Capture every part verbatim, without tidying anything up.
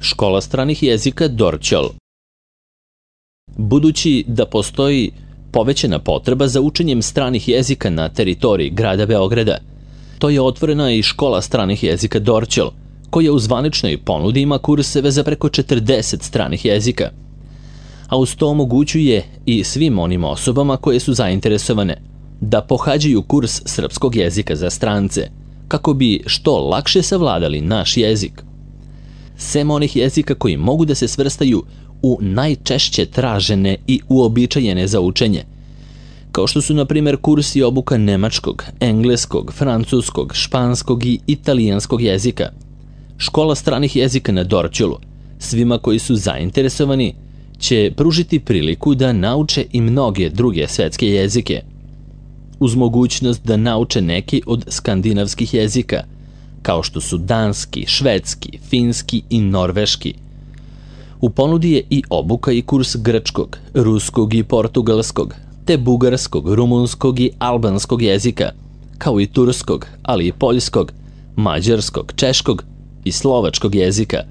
Škola stranih jezika Dorćol. Budući da postoji povećana potreba za učenjem stranih jezika na teritoriji grada Beograda, to je otvorena i škola stranih jezika Dorćol, koja u zvaničnoj ponudi ima kurseve za preko četrdeset stranih jezika, a uz to omogućuje i svim onim osobama koje su zainteresovane da pohađaju kurs srpskog jezika za strance, kako bi što lakše savladali naš jezik. Sem onih jezika koji mogu da se svrstaju u najčešće tražene i uobičajene za učenje, kao što su na primjer kurs i obuka nemačkog, engleskog, francuskog, španskog i italijanskog jezika. Škola stranih jezika na Dorćolu svima koji su zainteresovani će pružiti priliku da nauče i mnoge druge svetske jezike, uz mogućnost da nauče neki od skandinavskih jezika, kao što su danski, švedski, finski i norveški. U ponudi je i obuka i kurs grčkog, ruskog i portugalskog, te bugarskog, rumunskog i albanskog jezika, kao i turskog, ali i poljskog, mađarskog, češkog i slovačkog jezika.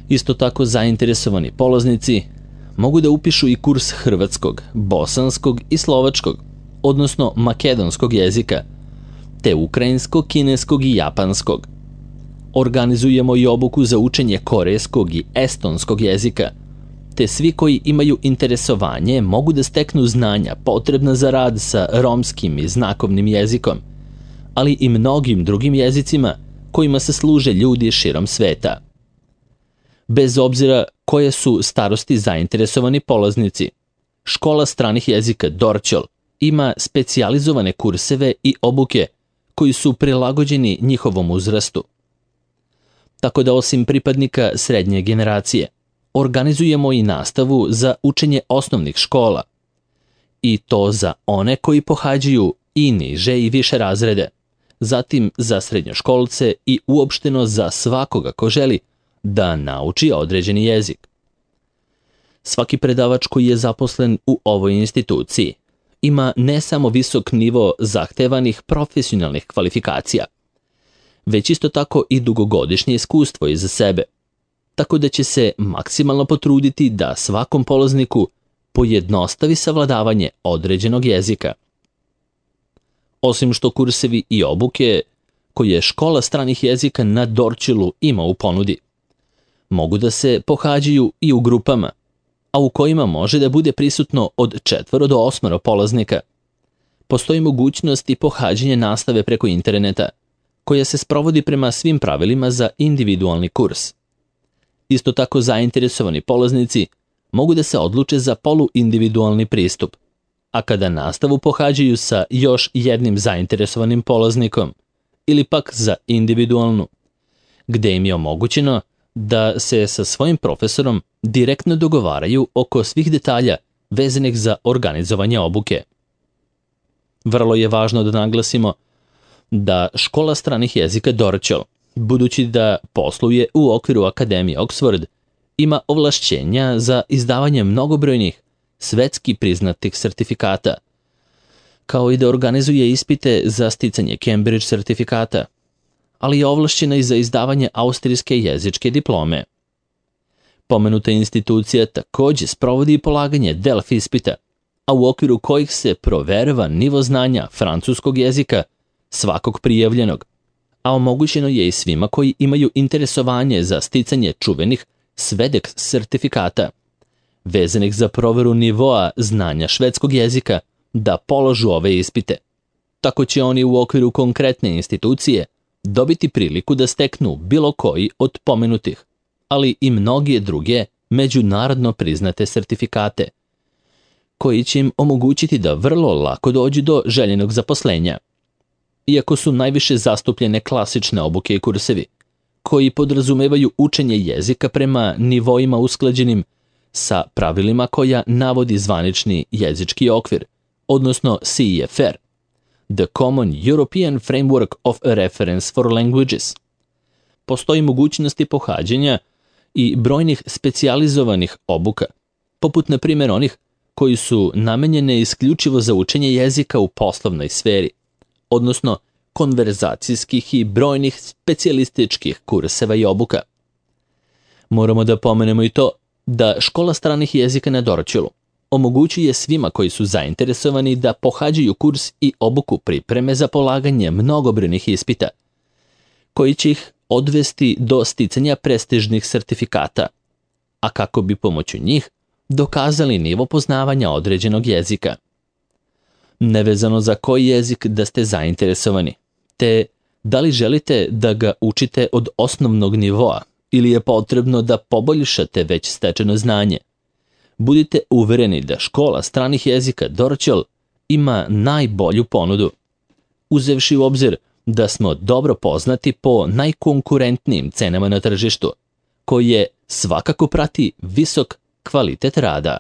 Isto tako zainteresovani polaznici mogu da upišu i kurs hrvatskog, bosanskog i slovačkog, odnosno makedonskog jezika, te ukrajinskog, kineskog i japanskog. Organizujemo i obuku za učenje korejskog i estonskog jezika, te svi koji imaju interesovanje mogu da steknu znanja potrebna za rad sa romskim i znakovnim jezikom, ali i mnogim drugim jezicima kojima se služe ljudi širom sveta. Bez obzira koje su starosti zainteresovani polaznici, škola stranih jezika Dorćol ima specijalizovane kurseve i obuke koji su prilagođeni njihovom uzrastu. Tako da osim pripadnika srednje generacije, organizujemo i nastavu za učenje osnovnih škola, i to za one koji pohađaju i niže i više razrede, zatim za srednjoškolce i uopšteno za svakoga ko želi da nauči određeni jezik. Svaki predavač koji je zaposlen u ovoj instituciji ima ne samo visok nivo zahtevanih profesionalnih kvalifikacija, već isto tako i dugogodišnje iskustvo iza sebe, tako da će se maksimalno potruditi da svakom polazniku pojednostavi savladavanje određenog jezika. Osim što kursevi i obuke koje škola stranih jezika na Dorćolu ima u ponudi, mogu da se pohađaju i u grupama, a u kojima može da bude prisutno od četvoro do osmoro polaznika. Postoji mogućnost i pohađanje nastave preko interneta, koja se sprovodi prema svim pravilima za individualni kurs. Isto tako zainteresovani polaznici mogu da se odluče za poluindividualni pristup, a kada nastavu pohađaju sa još jednim zainteresovanim polaznikom, ili pak za individualnu, gde im je omogućeno da se sa svojim profesorom direktno dogovaraju oko svih detalja vezanih za organizovanje obuke. Vrlo je važno da naglasimo da škola stranih jezika Dorćol, budući da posluje u okviru Akademije Oxford, ima ovlašćenja za izdavanje mnogobrojnih svetski priznatih sertifikata, kao i da organizuje ispite za sticanje Cambridge sertifikata, ali je ovlašćena i za izdavanje austrijske jezičke diplome. Pomenuta institucija takođe sprovodi i polaganje Delf ispita, a u okviru kojih se proverava nivo znanja francuskog jezika svakog prijavljenog, a omogućeno je i svima koji imaju interesovanje za sticanje čuvenih Svedek sertifikata, vezanih za proveru nivoa znanja švedskog jezika, da položu ove ispite. Tako će oni u okviru konkretne institucije dobiti priliku da steknu bilo koji od pomenutih, ali i mnoge druge međunarodno priznate sertifikate, koji će im omogućiti da vrlo lako dođu do željenog zaposlenja. Iako su najviše zastupljene klasične obuke i kursevi, koji podrazumevaju učenje jezika prema nivoima usklađenim sa pravilima koja navodi zvanični jezički okvir, odnosno C E F R, The Common European Framework of Reference for Languages. Postoji mogućnosti pohađanja i brojnih specijalizovanih obuka, poput na primjer onih koji su namenjene isključivo za učenje jezika u poslovnoj sferi, odnosno konverzacijskih i brojnih specijalističkih kurseva i obuka. Moramo da pomenemo i to da škola stranih jezika na Dorćolu omogućuje svima koji su zainteresovani da pohađaju kurs i obuku pripreme za polaganje mnogobrojnih ispita, koji će ih odvesti do sticanja prestižnih sertifikata, a kako bi pomoću njih dokazali nivo poznavanja određenog jezika. Nevezano za koji jezik da ste zainteresovani, te da li želite da ga učite od osnovnog nivoa ili je potrebno da poboljšate već stečeno znanje, budite uvereni da škola stranih jezika Dorćol ima najbolju ponudu, uzevši u obzir da smo dobro poznati po najkonkurentnijim cenama na tržištu, koje svakako prati visok kvalitet rada.